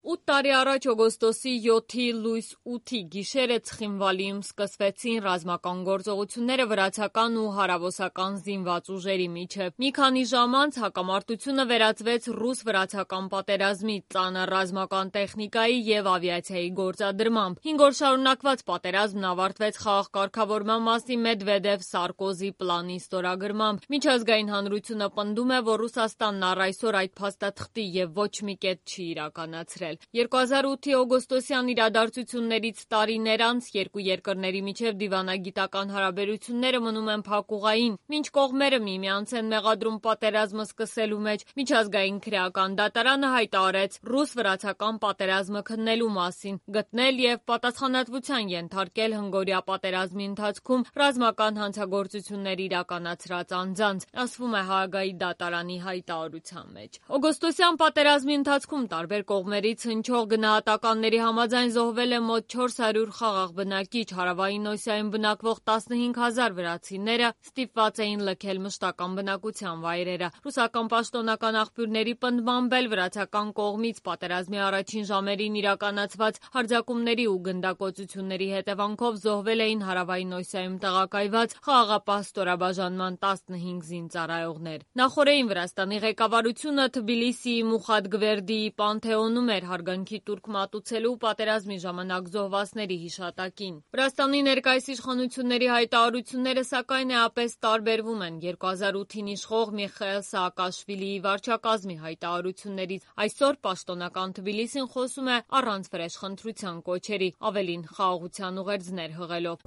8 տարի առաջ օգոստոսի 7-ի լույս 8-ի գիշերը Ցխինվալիում սկսվեցին ռազմական գործողությունները վրացական ու հարավոսական զինված ուժերի միջև։ Մի քանի ժամ անց հակամարտությունը վերածվեց ռուս-վրացական պատերազմի, ծանր ռազմական տեխնիկայի և ավիացիայի գործադրմամբ։ 5 օր շարունակված պատերազմն ավարտվեց խաղաղ կարգավորման մասին Մեդվեդև-Սարկոզի պլանի ստորագրմամբ։ Միջազգային հանրությունը պնդում է, որ Ռուսաստանն առ այսօր այդ փաստաթղթի և ոչ մի կետ չի իրականացրել։ 2008-ի օգոստոսյան իրադարձություններից տարիներ անց երկու երկրների միջև դիվանագիտական հարաբերությունները մնում են փակուղային, մինչ կողմերը միմյանց են մեղադրում պատերազմը սկսելու մեջ։ Միջազգային քրեական դատարանը հայտարարեց ռուս-վրացական պատերազմը քննելու մասին, գտնել և պատասխանատվության ենթարկել հնգօրյա պատերազմի ընթացքում ռազմական հանցագործություններ իրականացրած անձանց, ասվում է Հաագայի դատարանի հայտարարության մեջ։ Օգոստոսյան պատերազմի ընթացքում տարբեր կողմերից հնչող գնահատականների համաձայն զոհվել է մոտ 400 խաղաղ բնակիչ, հարավային Օսիայում բնակվող 15,000 վրացիները ստիպված էին լքել մշտական բնակության վայրերը։ Ռուսական պաշտոնական աղբյուրների պնդմամբ էլ վրացական կողմից պատերազմի առաջին ժամերին իրականացված հարձակումների ու գնդակոծությունների հետևանքով զոհվել էին հարավային Օսիայում տեղակայված խաղաղապահ ստորաբաժանման 15 զինծառայողներ։ Նախօրեին Վրաստանի ղեկավարությունը Թբիլիսիի Մուխաթ Գվերդիի Պանթեոնում էր հարգանքի տուրք մատուցելու պատերազմի ժամանակ զոհվածների հիշատակին։ Վրաստանի ներկայիս իշխանությունների հայտարարությունները սակայն էապես տարբերվում են 2008-ին իշխող Միխայիլ Սաակաշվիլիի վարչակազմի հայտարարություններից։ Այսօր պաշտոնական Թբիլիսին խոսում է առանց վրեժխնդրության կոչերի, ավելին խաղաղության ուղերձներ հղելով։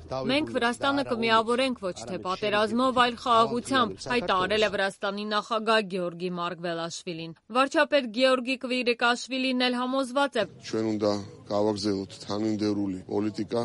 Մենք Վրաստանը կմիավորենք ոչ թե պատերազմով, այլ խաղաղությամբ, հայտարարել է Վրաստանի նախագահ Գեորգի Մարգվելաշվիլին։ Վարչապետ Գեորգի Կվիրիկաշվիլին էլ համոզված է.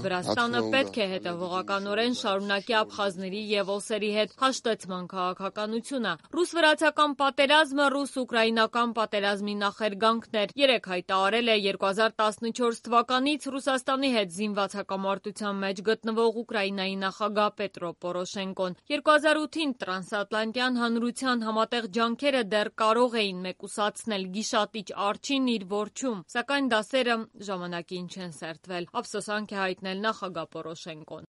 Վրաստանը պետք է հետևողականորեն շարունակի աբխազների և օսերի հետ հաշտեցման քաղաքականությունը։ Ռուս-վրացական պատերազմը ռուս-ուկրաինական պատերազմի նախերգանքն էր։ Երեկ հայտարարել է 2014 թվականից Ռուսաստանի հետ զինված հակամարտության մեջ գտնվող Ուկրաինայի նախագահ Պետրո Պորոշենկոն։ 2008-ին տրանսատլանտյան հանրության համատեղ ջանքերը դեռ կարող էին մեկուսացնել գիշատիչ արջին իր որջում, սակայն դասերը ժամանակին չեն սերտվել, ափսոսանք է հայտնել նախագահ Պորոշենկոն։